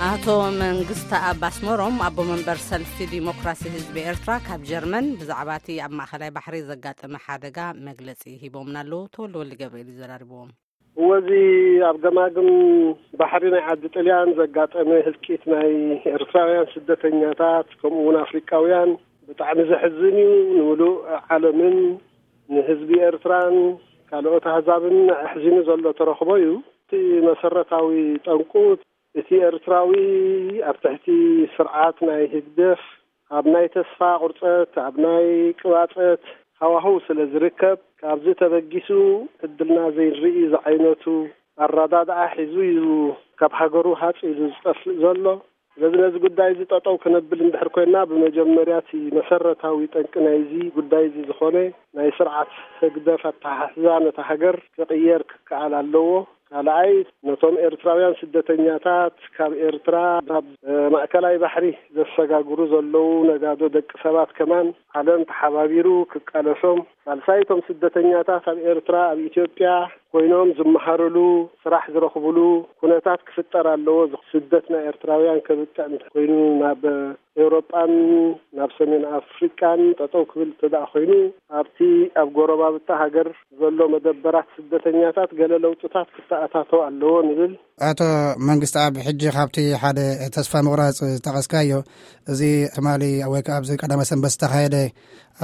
ኣቶ መንግስቲ ኣብ ኣስመሮም ኣቦ መንበር ሰልፊ ዲሞክራሲ ህዝቢ ኤርትራ ካብ ጀርመን ብዛዕባ እቲ ኣብ ማእኸላይ ባሕሪ ዘጋጠመ ሓደጋ መግለጺ ሂቦምና ኣለዉ። ተወልደ ወልደ ገብርኤል እዩ ዘራርብዎም። እወዚ ኣብ ገማግም ባሕሪ ናይ ዓዲ ጥልያን ዘጋጠመ ህልቂት ናይ ኤርትራውያን ስደተኛታት ከምኡ እውን ኣፍሪቃውያን ብጣዕሚ ዘሕዝን እዩ። ንምሉእ ዓለምን ንህዝቢ ኤርትራን ካልኦት ኣህዛብን ኣሕዚኑ ዘሎ ተረኽቦ እዩ። እቲ መሰረታዊ ጠንቁ እቲ ኤርትራዊ ኣብ ትሕቲ ስርዓት ናይ ህግደፍ ኣብ ናይ ተስፋ ቁርጸት፣ ኣብ ናይ ቅባጸት ሃዋህው ስለ ዝርከብ፣ ካብዚ ተበጊሱ ዕድልና ዘይንርኢ ዝዓይነቱ ኣረዳድኣ ሒዙ እዩ ካብ ሃገሩ ሃጽ ኢሉ ዝጠፍእ ዘሎ። ስለዚ ነዚ ጉዳይ እዚ ጠጠው ክነብል እንድሕር ኮይና፣ ብመጀመርያ እቲ መሰረታዊ ጠንቂ ናይዚ ጉዳይ እዚ ዝኾነ ናይ ስርዓት ህግደፍ ኣተሓሕዛ ነታ ሃገር ክቕየር ክከኣል ኣለዎ። ካልኣይ፣ ነቶም ኤርትራውያን ስደተኛታት ካብ ኤርትራ ናብ፣ እ፣ ማእከላይ ባሕሪ ዘሰጋግሩ ዘለዉ ነጋዶ ደቂ ሰባት ከማን ዓለም ተሓባቢሩ ክቃለሶም። ሳልሳይ፣ እቶም ስደተኛታት ኣብ ኤርትራ፣ ኣብ ኢትዮጵያ ኮይኖም ዝመሃርሉ፣ ስራሕ ዝረኽብሉ ኩነታት ክፍጠር ኣለዎ። ስደት ናይ ኤርትራውያን ከብቅዕ እንተ ኮይኑ ናብ ኤውሮጳን ናብ ሰሜን ኣፍሪቃን ጠጠው ክብል እንተ ደኣ ኮይኑ፣ ኣብቲ ኣብ ጎረባብታ ሃገር ዘሎ መደበራት ስደተኛታት ገለ ለውጥታት ክተኣታተው ኣለዎ ንብል። ኣቶ መንግስቲ ኣብ ሕጂ ካብቲ ሓደ ተስፋ ምቑራጽ ዝጠቐስካዮ፣ እዚ ትማሊ ወይ ከኣ ኣብዚ ቀዳመ ሰንበት ዝተኻየደ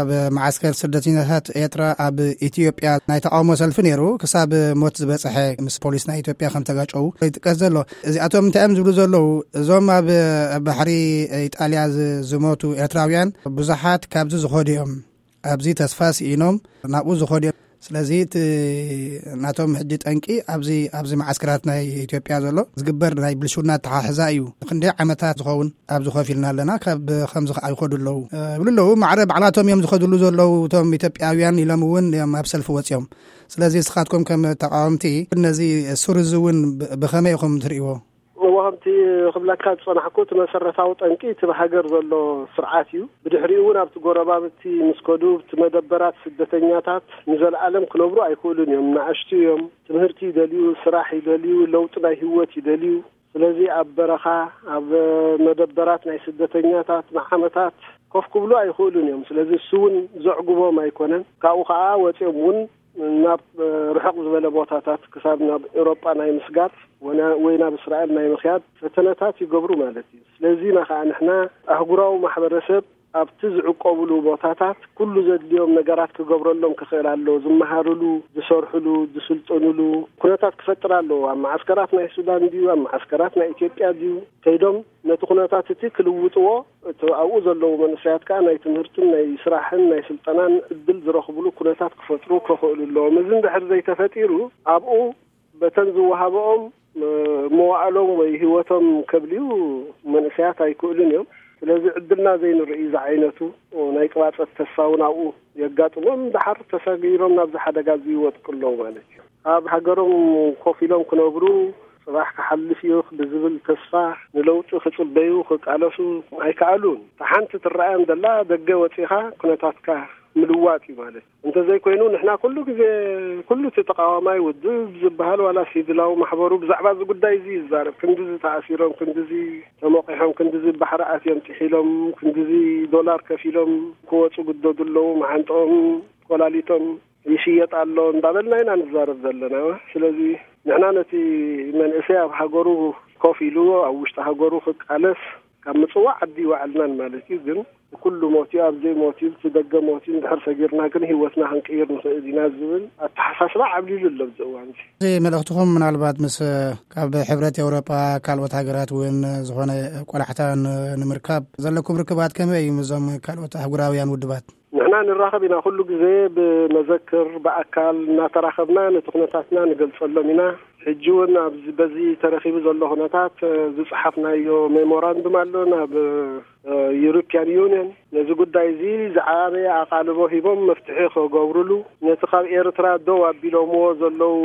ኣብ መዓስከር ስደተኛታት ኤርትራ ኣብ ኢትዮጵያ ናይ ተቃውሞ ሰልፊ ነይሩ። ክሳብ ሞት ዝበጽሐ ምስ ፖሊስ ናይ ኢትዮጵያ ከም ተጋጨው ይጥቀስ ዘሎ። እዚኣቶም እንታይ እዮም ዝብሉ ዘለዉ? እዞም ኣብ ባሕሪ ኢጣልያ ዝ-፣ ዝሞቱ ኤርትራውያን ብዙሓት ካብዚ ዝኸዱ እዮም። ኣብዚ ተስፋ ስኢኖም ናብኡ ዝኸዱ እዮም። ስለዚ እቲ ናቶም ሕጂ ጠንቂ ኣብዚ፣ ኣብዚ መዓስከራት ናይ ኢትዮጵያ ዘሎ ዝግበር ናይ ብልሽውና ኣተሓሕዛ እዩ። ክንደይ ዓመታት ዝኸውን ኣብዚ ኮፍ ኢልና ኣለና፣ ካብ ከምዚ ከዓ ይኸዱ ኣለዉ፣ እ፣ ይብሉ ኣለዉ። ማዕረ ባዕላቶም እዮም ዝኸድሉ ዘለዉ እቶም ኢትዮጵያውያን ኢሎም እውን እዮም ኣብ ሰልፊ ወፂኦም። ስለዚ ንስኻትኩም ከም ተቃወምቲ ነዚ ሱር እዚ እውን ብ-፣ ብኸመይ ኢኹም ትርእይዎ? እዎ፣ ከምቲ ክብለካ ዝጸናሕኩ፣ እቲ መሰረታዊ ጠንቂ እቲ ብሃገር ዘሎ ስርዓት እዩ። ብድሕሪኡ እውን ኣብቲ ጎረባብቲ ምስ ከዱ፣ እቲ መደበራት ስደተኛታት ንዘለኣለም ክነብሩ ኣይክእሉን እዮም። ንኣሽቱ እዮም። ትምህርቲ ይደልዩ፣ ስራሕ ይደልዩ፣ ለውጢ ናይ ህይወት ይደልዩ። ስለዚ ኣብ በረኻ፣ ኣብ መደበራት ናይ ስደተኛታት ንዓመታት ኮፍ ክብሉ ኣይኽእሉን እዮም። ስለዚ እሱ እውን ዘዕጉቦም ኣይኮነን። ካብኡ ኸዓ ወፂኦም እውን ናብ ርሑቕ ዝበለ ቦታታት ክሳብ ናብ ኤውሮጳ ናይ ምስጋር ወና-፣ ወይ ናብ እስራኤል ናይ ምኽያድ ፈተነታት ይገብሩ ማለት እዩ። ስለዚ ኢና ኸዓ ንሕና ኣህጉራዊ ማሕበረሰብ ኣብቲ ዝዕቆብሉ ቦታታት ኩሉ ዘድልዮም ነገራት ክገብረሎም ክኽእል ኣለዎ። ዝመሃርሉ፣ ዝሰርሕሉ፣ ዝስልጥንሉ ኩነታት ክፈጥር ኣለዎ። ኣብ መዓስከራት ናይ ሱዳን ድዩ፣ ኣብ መዓስከራት ናይ ኢትዮጵያ ድዩ፣ ከይዶም ነቲ ኩነታት እቲ ክልውጥዎ፣ እቲ ኣብኡ ዘለዉ መንእሰያት ከኣ ናይ ትምህርትን ናይ ስራሕን ናይ ስልጠናን ዕድል ዝረኽብሉ ኩነታት ክፈጥሩ ክኽእሉ ኣለዎም። እዚ እንድሕር ዘይተፈጢሩ፣ ኣብኡ በተን ዝወሃበኦም፣ እ፣ መዋእሎም ወይ ህይወቶም ከብልዩ መንእሰያት ኣይክእሉን እዮም። ስለዚ ዕድልና ዘይንርኢ ዝዓይነቱ ናይ ቅባጸት ተስፋ እውን ኣብኡ የጋጥሞም፣ ደሓር ተሰጊሮም ናብዚ ሓደጋ እዚ ይወድቁ ኣለዉ ማለት እዩ። ኣብ ሃገሮም ኮፍ ኢሎም ክነብሩ፣ ጽባሕ ክሓልፍ እዩ ብዝብል ተስፋ፣ ንለውጢ ክጽበዩ፣ ክቃለሱ ኣይከኣሉን። እታ ሓንቲ ትረኣዮም ዘላ፣ ደገ ወጺኻ ኩነታትካ ምልዋጥ እዩ ማለት። እንተዘይኮይኑ፣ ንሕና ኩሉ ግዜ፣ ኩሉ እቲ ተቃዋማይ ውድብ ዝበሃል ዋላ ሲቪላዊ ማሕበሩ ብዛዕባ እዚ ጉዳይ እዚ ይዛረብ። ክንድዚ ተኣሲሮም፣ ክንድዚ ተሞቂሖም፣ ክንድዚ ባሕሪ ኣትዮም ጥሒሎም፣ ክንድዚ ዶላር ከፊሎም ክወጹ ግደዱ ኣለዉ፣ መዓንጥኦም ኮላሊቶም ይሽየጥ ኣሎ እንዳበልና ኢና ንዛረብ ዘለና። ስለዚ ንሕና ነቲ መንእሰይ ኣብ ሃገሩ ኮፍ ኢሉ፣ ኣብ ውሽጢ ሃገሩ ክቃለስ ካብ ምጽዋዕ ዓዲ ይወዓልናን ማለት እዩ። ግን ኩሉ ሞት እዩ፣ ኣብ ዘይሞት እዩ፣ እቲ ደገ ሞት እዩ፣ እንድሕር ሰጊርና ግን ህይወትና ክንቅይር ንኽእል ኢና ዝብል ኣተሓሳስባ ዓብሊሉ ኣሎ ኣብዚ እዋን እዚ። እዚ መልእኽትኹም ምናልባት ምስ ካብ ሕብረት ኤውሮጳ ካልኦት ሃገራት እውን ዝኾነ ቆላሕታ ን-፣ ንምርካብ ዘለኩም ርክባት ከመይ እዩ ምስዞም ካልኦት ኣህጉራውያን ውድባት? ንሕና ንራኸብ ኢና፣ ኩሉ ግዜ ብመዘክር ብኣካል እናተራኸብና ነቲ ኩነታትና ንገልጸሎም ኢና። ሕጂ እውን ኣብዚ፣ በዚ ተረኺቡ ዘሎ ኩነታት፣ እ፣ ዝጸሓፍናዮ ሜሞራንዱም ኣሎ ናብ፣ እ፣ ዩሮፕያን ዩኒየን። ነዚ ጉዳይ እዚ ዝዓበየ ኣቓልቦ ሂቦም መፍትሒ ክገብሩሉ፣ ነቲ ካብ ኤርትራ ደው ኣቢሎምዎ ዘለዉ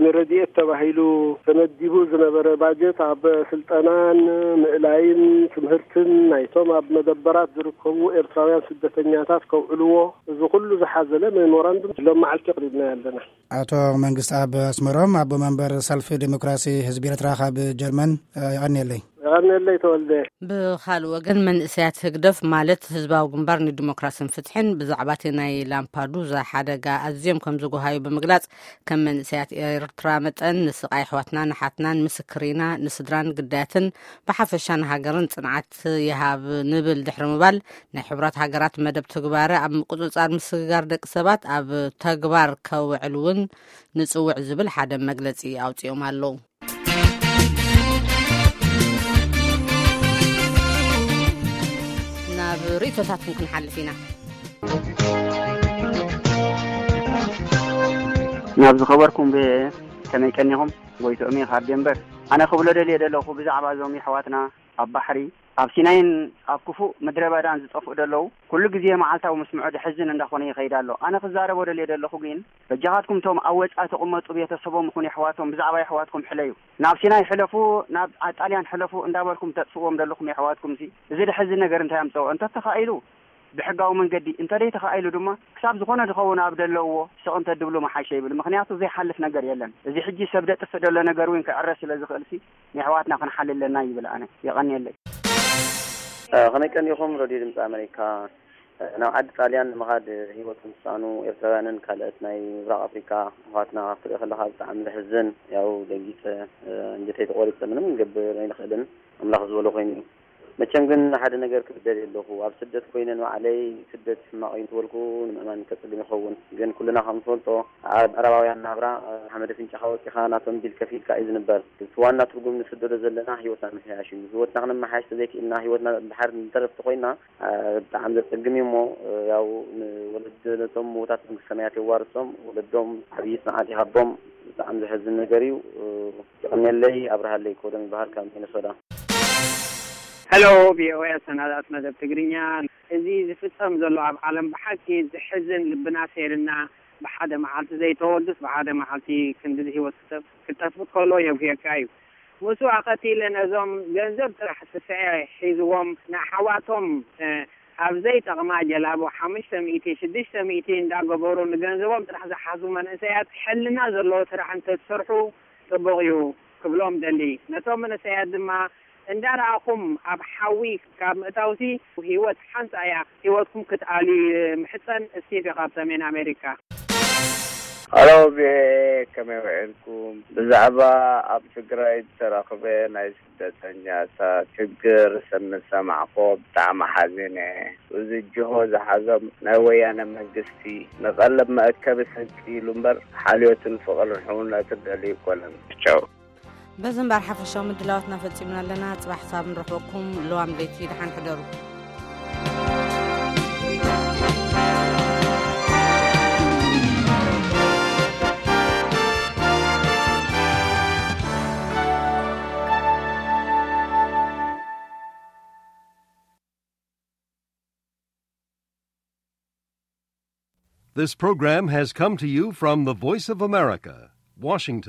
ንረድኤት ተባሂሉ ተመዲቡ ዝነበረ ባጀት ኣብ ስልጠናን ምእላይን ትምህርትን ናይቶም ኣብ መደበራት ዝርከቡ ኤርትራውያን ስደተኛታት ከውዕልዎ፣ እዚ ኩሉ ዝሓዘለ ሜሞራንዱም ሎም መዓልቲ ኣቕሪብናዮ ኣለና። ኣቶ መንግስቲ ኣብ ኣስመሮም፣ ኣቦ መንበር ሰልፊ ዲሞክራሲ ህዝቢ ኤርትራ ካብ ጀርመን፣ እ፣ የቐንየለይ። የቐንየለይ ተወልደ። ብኻልእ ወገን መንእሰያት ህግደፍ ማለት ህዝባዊ ግንባር ንዲሞክራስን ፍትሕን ብዛዕባ እቲ ናይ ላምፓዱዛ ሓደጋ ኣዝዮም ከም ዝጎሃዩ ብምግላጽ ከም መንእሰያት ኤርትራ መጠን ንስቓይ ኣሕዋትናን ኣሓትናን ምስክር ኢና፣ ንስድራን ግዳያትን ብሓፈሻ ንሃገርን ጽንዓት ይሃብ ንብል ድሕሪ ምባል ናይ ሕቡራት ሃገራት መደብ ትግባረ ኣብ ምቁጽጻር ምስግጋር ደቂ ሰባት ኣብ ተግባር ከውዕል እውን ንጽውዕ ዝብል ሓደ መግለጺ ኣውጺኦም ኣለዉ። ናብ ርእይቶታትኩም ክንሓልፍ ኢና። ናብ ዝኸበርኩም ብሄ ከመይ ቀኒኹም? ጎይትኦም እየ ካብ ዴንበር። ኣነ ክብሎ ደልየ ዘለኹ ብዛዕባ እዞም የሕዋትና ኣብ ባሕሪ ኣብ ሲናይን ኣብ ክፉእ ምድረ በዳን ዝጠፍኡ ዘለዉ ኩሉ ግዜ መዓልታዊ ምስምዖ ድሕዝን እንዳኾነ ይኸይድ ኣሎ። ኣነ ክዛረቦ ደልየ ዘለኹ ግን በጃኻትኩም እቶም ኣብ ወጻኢ ተቕመጡ ቤተሰቦም ይኹን የሕዋቶም ብዛዕባ የሕዋትኩም ሕለዩ። ናብ ሲናይ ሕለፉ፣ ናብ ጣልያን ሕለፉ እንዳበልኩም ተጥፍዎም ዘለኹም የሕዋትኩም ሲ እዚ ድሕዝን ነገር እንታይ ኣምጸኦ? እንተተኻኢሉ ብሕጋዊ መንገዲ እንተደይ ተኻኢሉ ድማ ክሳብ ዝኾነ ዝኸውን ኣብ ደለውዎ ስቕ እንተድብሉ መሓሸ ይብል። ምኽንያቱ ዘይሓልፍ ነገር የለን። እዚ ሕጂ ሰብ ደጥፍእ ደሎ ነገር እውን ክዕረ ስለ ዝኽእል ሲ ንኣሕዋትና ክንሓሊ ኣለና ይብል። ኣነ የቐንየለይ። ከመይ ቀኒኹም ረድዮ ድምፂ ኣመሪካ? ናብ ዓዲ ጣልያን ንምኻድ ህይወቶም ዝሰኣኑ ኤርትራውያንን ካልኦት ናይ ምብራቕ ኣፍሪካ ኣሕዋትና ክትርኢ ከለኻ ብጣዕሚ ዘሕዝን። ያው ደንጊፀ፣ እንጀተይ ተቆሪፀ፣ ምንም ክንገብር ኣይንኽእልን። ኣምላኽ ዝበሎ ኮይኑ እዩ። መቸም ግን ሓደ ነገር ክብል ደልየ ኣለኹ። ኣብ ስደት ኮይነ ንባዕለይ ስደት ሕማቕ እዩ እንተበልኩ ንምእማን ከጽግም ይኸውን። ግን ኩልና ከም ንፈልጦ ኣብ ምዕራባውያን ናብራ ሓመድ ኣፍንጫኻ ወጺኻ ናቶም ቢል ከፊልካ እዩ ዝንበር። እቲ ዋና ትርጉም ንስደዶ ዘለና ህይወትና ምሕያሽ እዩ። ህይወትና ክነመሓያሽ ተዘይክኢልና ህይወትና ድሓር ንተረፍቲ ኮይና ብጣዕሚ ዘጸግም እዩ እሞ ያው ንወለድ ነቶም ምውታት መንግስቲ ሰማያት የዋርሶም። ወለዶም ዓብዪ ጽንዓት ይሃቦም። ብጣዕሚ ዘሕዝን ነገር እዩ። የቐንየለይ። ኣብርሃለይ ኮዶም ይበሃል ካብ ሚነሶዳ። ሄሎ ቪኦኤ ኣሰናዳእት መደብ ትግርኛ። እዚ ዝፍጸም ዘሎ ኣብ ዓለም ብሓቂ ዝሕዝን ልብና ሰይርና ብሓደ መዓልቲ ዘይተወልዱስ ብሓደ መዓልቲ ክንዲ ህይወት ክጠፍእ ከሎ የጉህየካ እዩ። ምስኡ ኣኸቲለ ነዞም ገንዘብ ጥራሕ ስስዐ ሒዝዎም ንኣሕዋቶም ኣብ ዘይጠቕማ ጀላቡ ሓሙሽተ ሚእቲ ሽዱሽተ ሚእቲ እንዳገበሩ ንገንዘቦም ጥራሕ ዝሓዙ መንእሰያት ሕልና ዘለዎ ስራሕ እንተዝሰርሑ ጽቡቕ እዩ ክብሎም ደሊ። ነቶም መንእሰያት ድማ እንዳረኣኹም ኣብ ሓዊ ካብ ምእታውሲ ህይወት ሓንሳ እያ፣ ህይወትኩም ክትኣልዩ ይምሕጸን። ስቲቭ ካብ ሰሜን ኣሜሪካ። ሄሎ ቪኦኤ ከመይ ውዒልኩም? ብዛዕባ ኣብ ትግራይ ዝተረኽበ ናይ ስደተኛታት ችግር ምስ ሰማዕኩ ብጣዕሚ ሓዚነ። እዚ ጅሆ ዝሓዞም ናይ ወያነ መንግስቲ ንቐለብ መእከቢ ስንቂ ኢሉ እምበር ሓልዮትን ፍቕርን ሕውነትን ደልዩ ኣይኮነን። ቻው። በዚ እምበር ሓፈሻዊ ምድላዋትና ፈጺምና ኣለና። ጽባሕ ክሳብ ንረኽበኩም ልዋም ለይቲ ደሓን ሕደሩ። This program has come to you from the Voice of America, Washington.